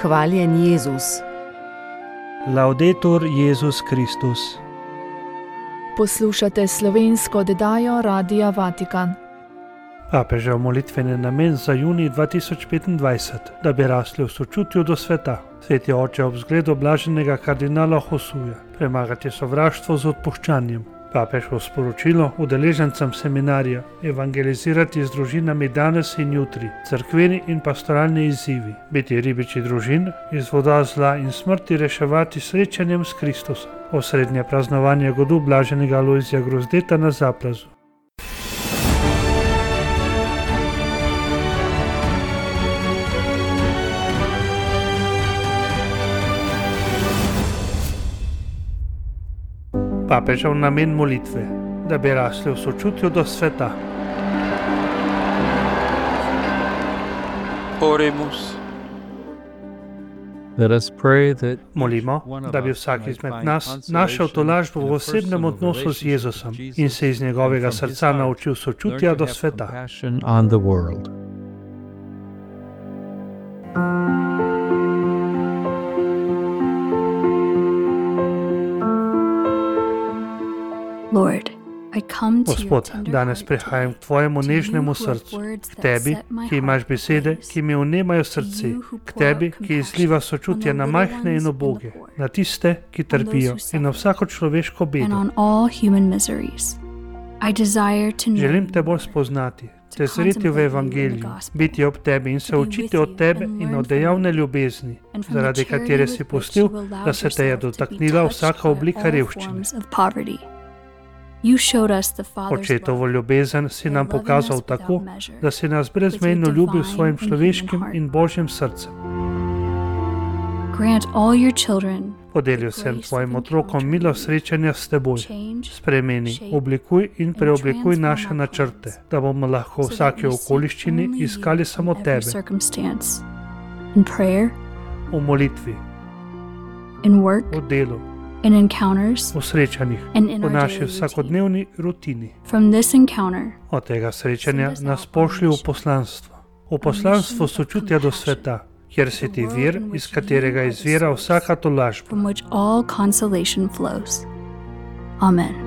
Hvaljen Jezus. Laudetur Jezus Kristus. Poslušate slovensko oddajo Radia Vatikan. Papežev molitveni namen za junij 2025, da bi rasli v sočutju do sveta. Sveti oče ob zgledu blaženega kardinala Josuja premagati sovraštvo z odpuščanjem. Papeževo sporočilo udeležencem seminarja evangelizirati z družinami danes in jutri, cerkveni in pastoralni izzivi, biti ribiči družin, iz voda zla in smrti reševati srečanjem s Kristusom. Osrednje praznovanje godu blaženega Alojzija Grozdeta na Zaplazu. Papežev namen molitve, da bi rasli v sočutju do sveta. Oremus. Molimo, da bi vsak izmed nas našel tolažbo v osebnem odnosu z Jezusom in se iz njegovega srca naučil sočutja do sveta. Gospod, danes prihajam k tvojemu nežnemu srcu, k tebi, ki imaš besede, ki mi vnemajo srce, k tebi, ki izliva sočutje na majhne in uboge, na tiste, ki trpijo in na vsako človeško bedo. Želim te bolj spoznati, te zreti v evangeliju, biti ob tebi in se učiti od tebe in od dejavne ljubezni, zaradi katere si pustil, da se te je dotaknila vsaka oblika revščine. Očetovo ljubezen si nam pokazal tako, da si nas brezmejno ljubil s svojim človeškim in božjim srcem. Podelil sem tvojim otrokom milo srečanja s teboj. Spremeni, oblikuj in preoblikuj naše načrte, da bomo lahko v vsaki okoliščini iskali samo tebe. V molitvi, v delu, v srečanjih, v naši vsakodnevni rutini. Od tega srečanja nas pošlji v poslanstvo sočutja do sveta, kjer si ti vir, iz katerega izvira vsaka tolažba. Amen.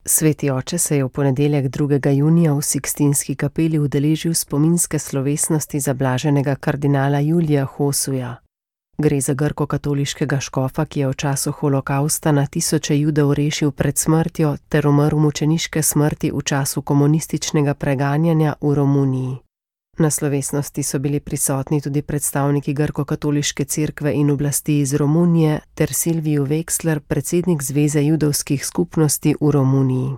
Sveti oče se je v ponedeljek 2. junija v Sikstinski kapeli udeležil spominske slovesnosti za blaženega kardinala Julija Josuja. Gre za grko-katoliškega škofa, ki je v času holokausta na tisoče Judov rešil pred smrtjo ter umrl mučeniške smrti v času komunističnega preganjanja v Romuniji. Na slovesnosti so bili prisotni tudi predstavniki grko-katoliške cerkve in oblasti iz Romunije ter Silviju Veksler, predsednik Zveze judovskih skupnosti v Romuniji.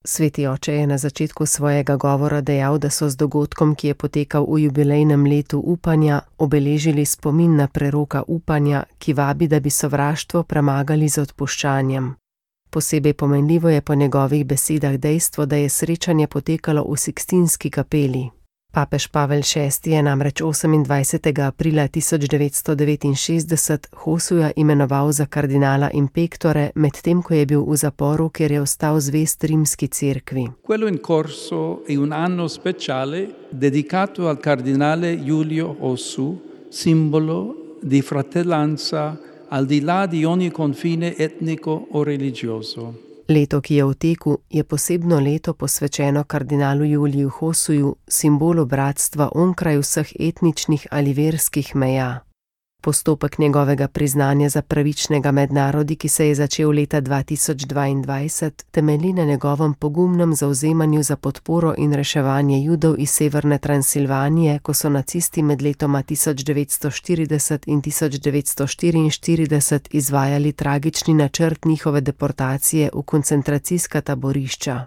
Sveti oče je na začetku svojega govora dejal, da so z dogodkom, ki je potekal v jubilejnem letu upanja, obeležili spomin na preroka upanja, ki vabi, da bi sovraštvo premagali z odpuščanjem. Posebej pomenljivo je po njegovih besedah dejstvo, da je srečanje potekalo v Sikstinski kapeli. Papež Pavel VI je namreč 28. aprila 1969 Josuja imenoval za kardinala in pektore, medtem ko je bil v zaporu, ker je ostal zvest rimski cerkvi. Quello in corso è un anno speciale dedicato al cardinale Giulio Josu, simbolo di fratellanza al di là di ogni confine etnico o religioso. Leto, ki je v teku, je posebno leto posvečeno kardinalu Juliju Josuju, simbolu bratstva onkraj vseh etničnih ali verskih meja. Postopek njegovega priznanja za pravičnega med narodi, ki se je začel leta 2022, temelji na njegovem pogumnem zavzemanju za podporo in reševanje Judov iz severne Transilvanije, ko so nacisti med letoma 1940 in 1944 izvajali tragični načrt njihove deportacije v koncentracijska taborišča.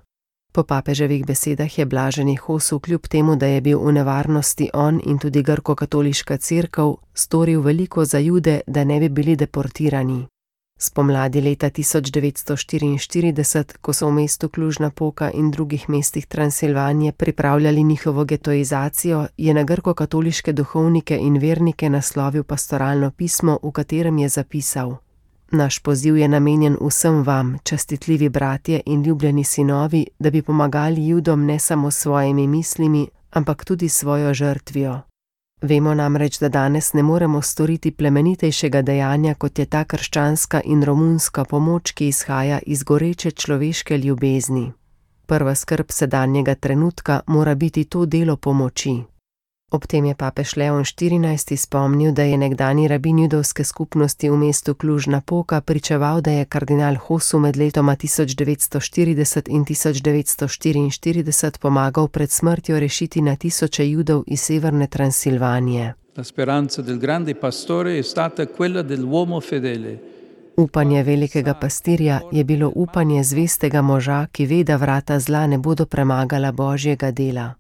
Po papeževih besedah je blaženi Josu kljub temu, da je bil v nevarnosti on in tudi grko-katoliška cerkev, storil veliko za Jude, da ne bi bili deportirani. Spomladi leta 1944, ko so v mestu Cluj-Napoca in drugih mestih Transilvanije pripravljali njihovo getoizacijo, je na grko-katoliške duhovnike in vernike naslovil pastoralno pismo, v katerem je zapisal: Naš poziv je namenjen vsem vam, častitljivi bratje in ljubljeni sinovi, da bi pomagali Judom ne samo s svojimi mislimi, ampak tudi svojo žrtvijo. Vemo namreč, da danes ne moremo storiti plemenitejšega dejanja, kot je ta krščanska in romunska pomoč, ki izhaja iz goreče človeške ljubezni. Prva skrb sedanjega trenutka mora biti to delo pomoči. Ob tem je papež Leon XIV spomnil, da je nekdanji rabin judovske skupnosti v mestu Cluj-Napoca pričeval, da je kardinal Hosu med letoma 1940 in 1944 pomagal pred smrtjo rešiti na tisoče Judov iz severne Transilvanije. La speranza del grande pastore è stata quella dell'uomo fedele. Upanje velikega pastirja je bilo upanje zvestega moža, ki ve, da vrata zla ne bodo premagala Božjega dela.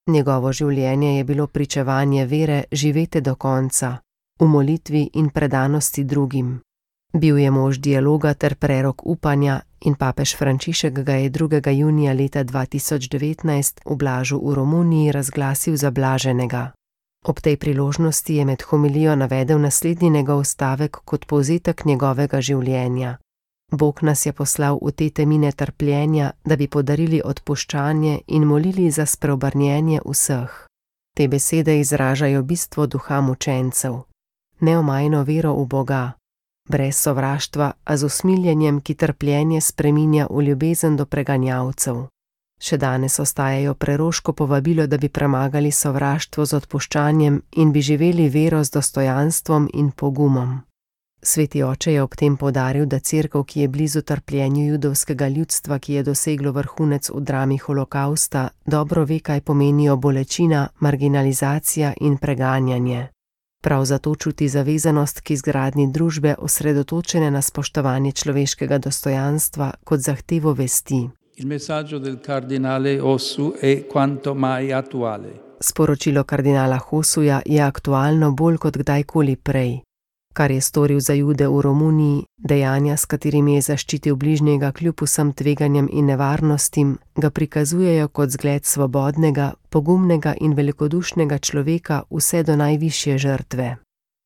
Njegovo življenje je bilo pričevanje vere živete do konca, v molitvi in predanosti drugim. Bil je mož dialoga ter prerok upanja in papež Frančišek ga je 2. junija leta 2019 v Blažu v Romuniji razglasil za blaženega. Ob tej priložnosti je med homilijo navedel naslednji njegov stavek kot povzetek njegovega življenja. Bog nas je poslal v te temine trpljenja, da bi podarili odpuščanje in molili za spreobrnjenje vseh. Te besede izražajo bistvo duha mučencev. Neomajno vero v Boga, brez sovraštva, a z usmiljenjem, ki trpljenje spreminja v ljubezen do preganjavcev. Še danes ostajajo preroško povabilo, da bi premagali sovraštvo z odpuščanjem in bi živeli vero z dostojanstvom in pogumom. Sveti oče je ob tem poudaril, da cerkev, ki je blizu trpljenju judovskega ljudstva, ki je doseglo vrhunec v drami holokausta, dobro ve, kaj pomenijo bolečina, marginalizacija in preganjanje. Prav zato čuti zavezanost k izgradnji družbe, osredotočene na spoštovanje človeškega dostojanstva kot zahtevo vesti. Il messaggio del cardinale Hossu è quanto mai attuale. Sporočilo kardinala Hosuja je aktualno bolj kot kdajkoli prej. Kar je storil za Jude v Romuniji, dejanja, s katerimi je zaščitil bližnjega kljub vsem tveganjem in nevarnostim, ga prikazujejo kot zgled svobodnega, pogumnega in velikodušnega človeka vse do najvišje žrtve.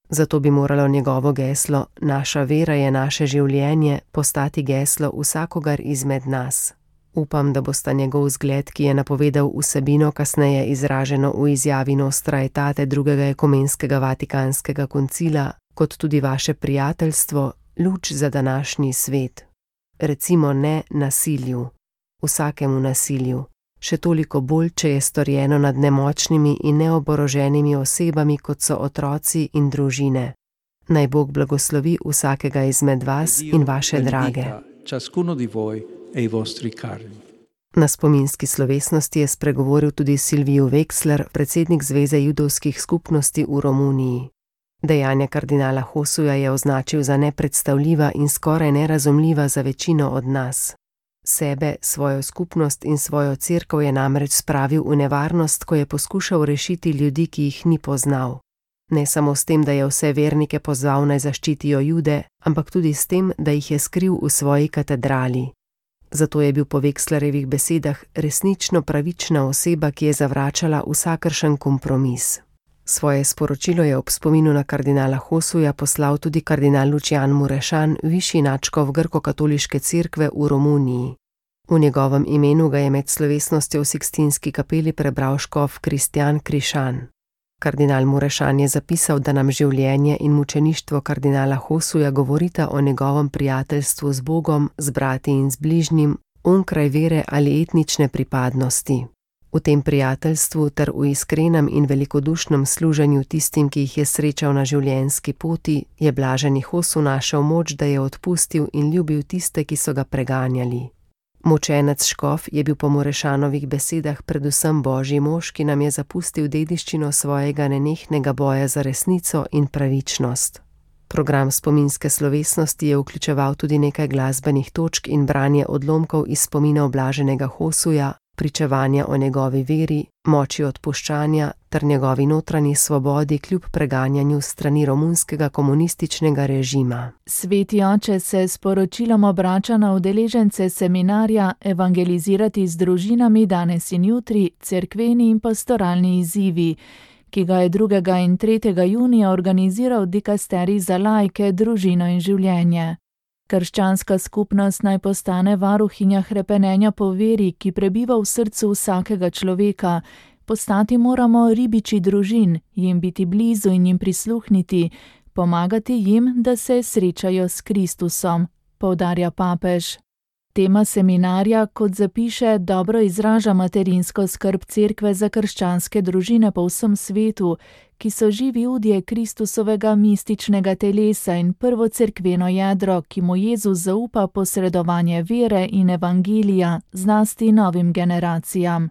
Zato bi moralo njegovo geslo "Naša vera je naše življenje" postati geslo vsakogar izmed nas. Upam, da bosta njegov zgled, ki je napovedal vsebino kasneje izraženo v izjavi Nostra Aetate drugega ekumenskega vatikanskega koncila, kot tudi vaše prijateljstvo, luč za današnji svet. Recimo ne nasilju, vsakemu nasilju, še toliko bolj, če je storjeno nad nemočnimi in neoboroženimi osebami, kot so otroci in družine. Naj Bog blagoslovi vsakega izmed vas in vaše drage. Na spominski slovesnosti je spregovoril tudi Silviju Wexler, predsednik Zveze judovskih skupnosti v Romuniji. Dejanja kardinala Hosuja je označil za nepredstavljiva in skoraj nerazumljiva za večino od nas. Sebe, svojo skupnost in svojo cerkev je namreč spravil v nevarnost, ko je poskušal rešiti ljudi, ki jih ni poznal. Ne samo s tem, da je vse vernike pozval naj zaščitijo Jude, ampak tudi s tem, da jih je skril v svoji katedrali. Zato je bil po Wexlerjevih besedah resnično pravična oseba, ki je zavračala vsakršen kompromis. Svoje sporočilo je ob spominu na kardinala Hosuja poslal tudi kardinal Lucian Murešan, višji nadškof grko-katoliške cerkve v Romuniji. V njegovem imenu ga je med slovesnostjo v Sikstinski kapeli prebral škof Kristjan Krišan. Kardinal Murešan je zapisal, da nam življenje in mučeništvo kardinala Hosuja govorita o njegovem prijateljstvu z Bogom, z brati in z bližnjim, onkraj vere ali etnične pripadnosti. V tem prijateljstvu ter v iskrenem in velikodušnem služenju tistim, ki jih je srečal na življenjski poti, je blaženi Hosu našel moč, da je odpustil in ljubil tiste, ki so ga preganjali. Mučenec škof je bil po Murešanovih besedah predvsem Božji mož, ki nam je zapustil dediščino svojega nenehnega boja za resnico in pravičnost. Program spominske slovesnosti je vključeval tudi nekaj glasbenih točk in branje odlomkov iz spominov blaženega Hosuja, pričevanja o njegovi veri, moči odpuščanja ter njegovi notranji svobodi kljub preganjanju strani romunskega komunističnega režima. Sveti oče se s poročilom obrača na udeležence seminarja Evangelizirati z družinami danes in jutri, cerkveni in pastoralni izzivi, ki ga je 2. in 3. junija organiziral dikasterij za laike, družino in življenje. Krščanska skupnost naj postane varuhinja hrepenenja po veri, ki prebiva v srcu vsakega človeka. Postati moramo ribiči družin, jim biti blizu in jim prisluhniti, pomagati jim, da se srečajo s Kristusom, poudarja papež. Tema seminarja, kot zapiše, dobro izraža materinsko skrb cerkve za krščanske družine po vsem svetu, ki so živi udje Kristusovega mističnega telesa in prvo cerkveno jedro, ki mu Jezus zaupa posredovanje vere in evangelija, zlasti novim generacijam.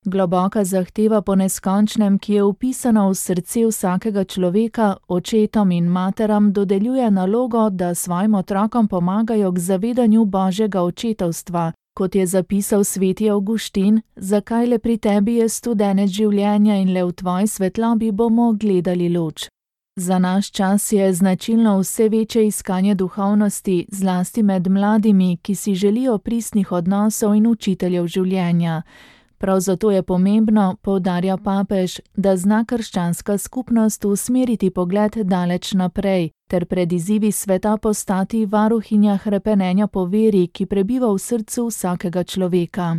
Globoka zahteva po neskončnem, ki je vpisana v srce vsakega človeka, očetom in materam dodeljuje nalogo, da svojim otrokom pomagajo k zavedanju Božjega očetovstva. Kot je zapisal sveti Avguštin, zakaj le pri tebi je studenec življenja in le v tvoji svetlobi bomo gledali luč. Za naš čas je značilno vse večje iskanje duhovnosti, zlasti med mladimi, ki si želijo pristnih odnosov in učiteljev življenja. Prav zato je pomembno, poudarja papež, da zna krščanska skupnost usmeriti pogled daleč naprej, ter pred izzivi sveta postati varuhinja hrepenenja po veri, ki prebiva v srcu vsakega človeka.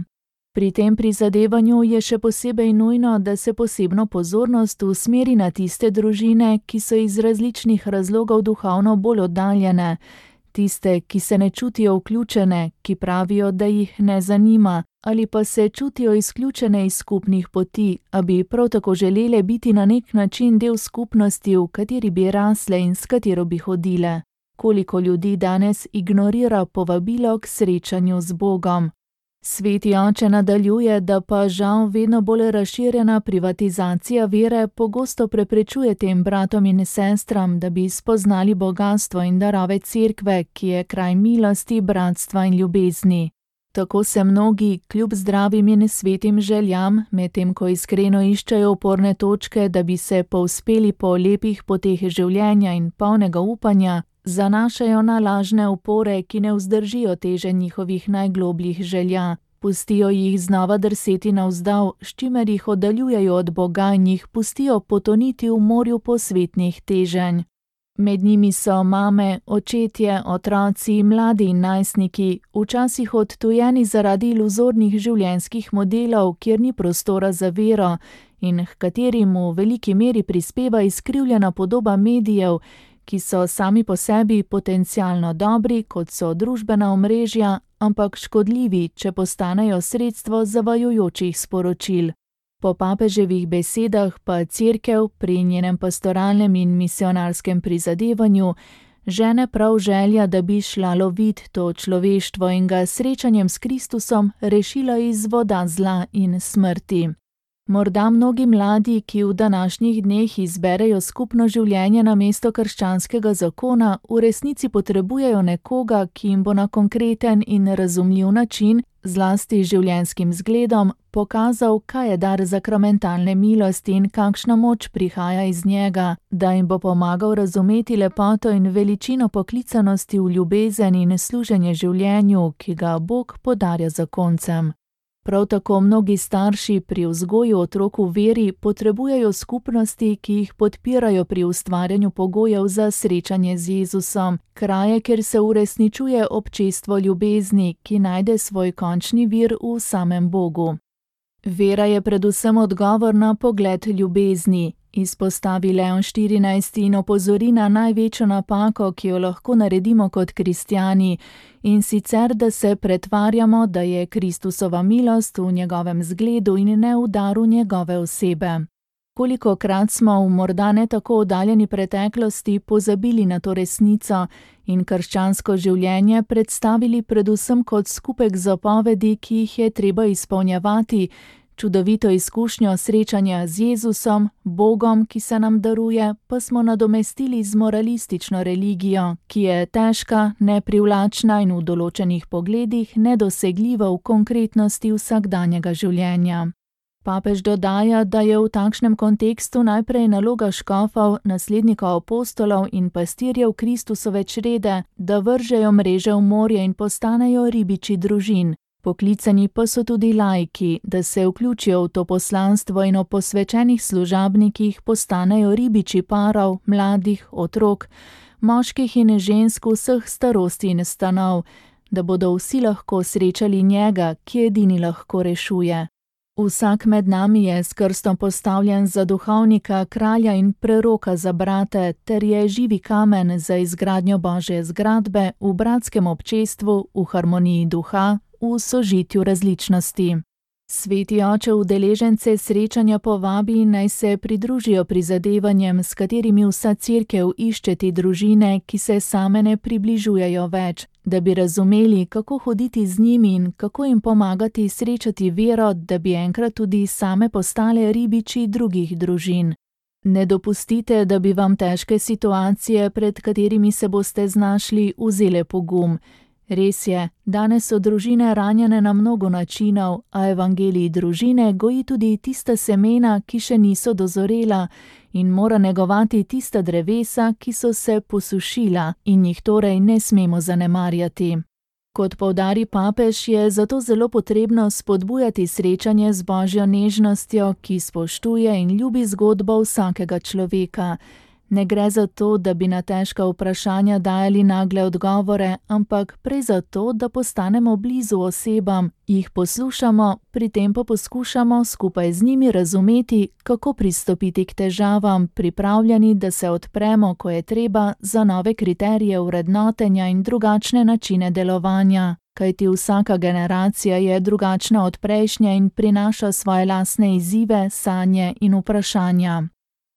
Pri tem prizadevanju je še posebej nujno, da se posebno pozornost usmeri na tiste družine, ki so iz različnih razlogov duhovno bolj oddaljene, tiste, ki se ne čutijo vključene, ki pravijo, da jih ne zanima, ali pa se čutijo izključene iz skupnih poti, a bi prav tako želele biti na nek način del skupnosti, v kateri bi rasle in s katero bi hodile. Koliko ljudi danes ignorira povabilo k srečanju z Bogom. Sveti oče nadaljuje, da pa žal vedno bolj razširjena privatizacija vere pogosto preprečuje tem bratom in sestram, da bi spoznali bogastvo in darove cerkve, ki je kraj milosti, bratstva in ljubezni. Tako se mnogi, kljub zdravim in svetim željam, medtem ko iskreno iščejo oporne točke, da bi se povzpeli po lepih poteh življenja in polnega upanja, zanašajo na lažne opore, ki ne vzdržijo teže njihovih najglobljih želja, pustijo jih znova drseti navzdol, s čimer jih oddaljujejo od Boga in jih pustijo potoniti v morju posvetnih teženj. Med njimi so mame, očetje, otroci, mladi in najstniki, včasih odtujeni zaradi iluzornih življenjskih modelov, kjer ni prostora za vero in h katerim v veliki meri prispeva izkrivljena podoba medijev, ki so sami po sebi potencialno dobri, kot so družbena omrežja, ampak škodljivi, če postanejo sredstvo zavajajočih sporočil. Po papeževih besedah pa cerkev pri njenem pastoralnem in misionarskem prizadevanju žene prav želja, da bi šla lovit to človeštvo in ga srečanjem s Kristusom rešila iz voda zla in smrti. Morda mnogi mladi, ki v današnjih dneh izberejo skupno življenje namesto krščanskega zakona, v resnici potrebujejo nekoga, ki jim bo na konkreten in razumljiv način, zlasti življenjskim zgledom, pokazal, kaj je dar sakramentalne milosti in kakšna moč prihaja iz njega, da jim bo pomagal razumeti lepoto in veličino poklicanosti v ljubezen in služenje življenju, ki ga Bog podarja zakoncem. Prav tako mnogi starši pri vzgoju otrok v veri potrebujejo skupnosti, ki jih podpirajo pri ustvarjanju pogojev za srečanje z Jezusom, kraje, kjer se uresničuje občestvo ljubezni, ki najde svoj končni vir v samem Bogu. Vera je predvsem odgovor na pogled ljubezni, izpostavi Leon 14. in opozori na največjo napako, ki jo lahko naredimo kot kristjani, in sicer, da se pretvarjamo, da je Kristusova milost v njegovem zgledu in ne v daru njegove osebe. Kolikokrat smo v morda ne tako oddaljeni preteklosti pozabili na to resnico in krščansko življenje predstavili predvsem kot skupek zapovedi, ki jih je treba izpolnjevati, Čudovito izkušnjo srečanja z Jezusom, Bogom, ki se nam daruje, pa smo nadomestili z moralistično religijo, ki je težka, neprivlačna in v določenih pogledih nedosegljiva v konkretnosti vsakdanjega življenja. Papež dodaja, da je v takšnem kontekstu najprej naloga škofov, naslednikov apostolov in pastirjev Kristusove črede, da vržejo mreže v morje in postanejo ribiči družin. Poklicani pa so tudi laiki, da se vključijo v to poslanstvo in o posvečenih služabnikih postanejo ribiči parov, mladih, otrok, moških in žensk vseh starosti in stanov, da bodo vsi lahko srečali njega, ki edini lahko rešuje. Vsak med nami je s krstom postavljen za duhovnika, kralja in preroka za brate, ter je živi kamen za izgradnjo Božje zgradbe v bratskem občestvu, v harmoniji duha, v sožitju različnosti. Sveti oče udeležence srečanja povabi, naj se pridružijo prizadevanjem, s katerimi vsa cerkev išče te družine, ki se same ne približujejo več, da bi razumeli, kako hoditi z njimi in kako jim pomagati srečati vero, da bi enkrat tudi same postale ribiči drugih družin. Ne dopustite, da bi vam težke situacije, pred katerimi se boste znašli, vzele pogum. Res je, danes so družine ranjene na mnogo načinov, a evangelij družine goji tudi tista semena, ki še niso dozorela, in mora negovati tista drevesa, ki so se posušila in jih torej ne smemo zanemarjati. Kot poudari papež, je zato zelo potrebno spodbujati srečanje z Božjo nežnostjo, ki spoštuje in ljubi zgodbo vsakega človeka. Ne gre za to, da bi na težka vprašanja dajali nagle odgovore, ampak prej za to, da postanemo blizu osebam, jih poslušamo, pri tem pa poskušamo skupaj z njimi razumeti, kako pristopiti k težavam, pripravljeni, da se odpremo, ko je treba, za nove kriterije vrednotenja in drugačne načine delovanja. Kajti vsaka generacija je drugačna od prejšnje in prinaša svoje lastne izzive, sanje in vprašanja.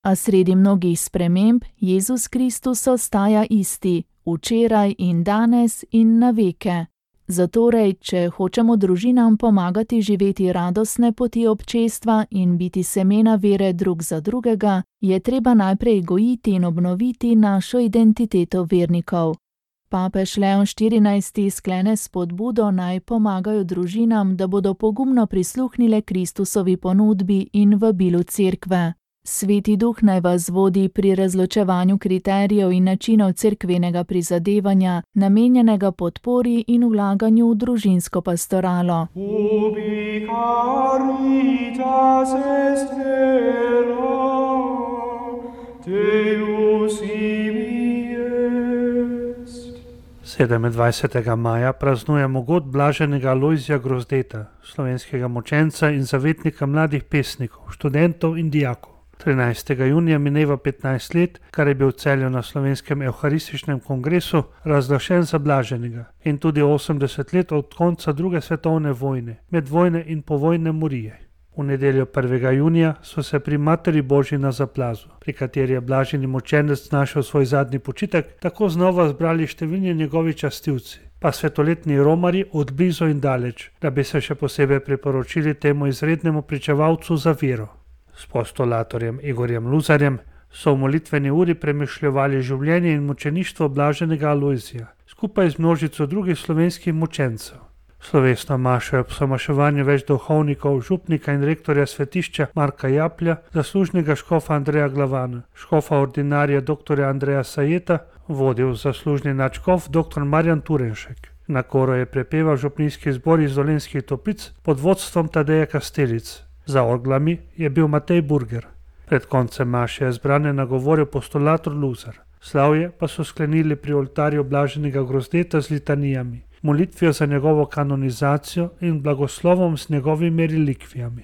A sredi mnogih sprememb Jezus Kristus ostaja isti, včeraj in danes in na veke. Zatorej, če hočemo družinam pomagati živeti radostne poti občestva in biti semena vere drug za drugega, je treba najprej gojiti in obnoviti našo identiteto vernikov. Papež Leon XIV sklene spodbudo, naj pomagajo družinam, da bodo pogumno prisluhnile Kristusovi ponudbi in vabilu cerkve. Sveti duh naj vas vodi pri razločevanju kriterijev in načinov cerkvenega prizadevanja, namenjenega podpori in vlaganju v družinsko pastoralo. Ubi caritas est vera, Deus ibi est. 27. maja praznujemo god blaženega Alojzija Grozdeta, slovenskega mučenca in zavetnika mladih pesnikov, študentov in dijakov. 13. junija mineva 15 let, kar je bil v Celju na slovenskem evharističnem kongresu razglašen za blaženega, in tudi 80 let od konca druge svetovne vojne, medvojne in povojne morije. V nedeljo 1. junija so se pri Materi Božji na Zaplazu, pri kateri je blaženi mučenec našel svoj zadnji počitek, tako znova zbrali številni njegovi častilci, pa svetoletni romarji od blizu in daleč, da bi se še posebej priporočili temu izrednemu pričevalcu za vero. S postulatorjem Igorjem Luzarjem so v molitveni uri premišljevali življenje in mučeništvo blaženega Alojzija, skupaj z množico drugih slovenskih mučencev. Slovesno mašo je ob somaševanju več duhovnikov, župnika in rektorja svetišča Marka Japlja, zaslužnega škofa Andreja Glavana, škofa ordinarja dr. Andreja Sajeta, vodil zaslužni nadškof dr. Marjan Turenšek. Na koru je prepeval župnijski zbor iz Dolenjskih Toplic pod vodstvom Tadeja Kastelic. Za orglami je bil Matej Burger. Pred koncem maše je zbrane nagovoril postulator Luzar. Slavje pa so sklenili pri oltarju blaženega Grozdeta z litanijami, molitvijo za njegovo kanonizacijo in blagoslovom s njegovimi relikvijami.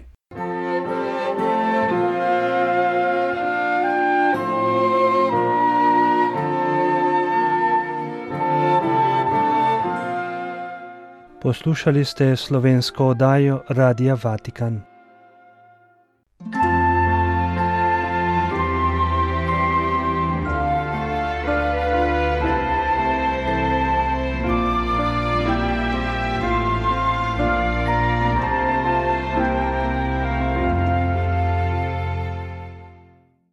Poslušali ste slovensko oddajo Radia Vatikan.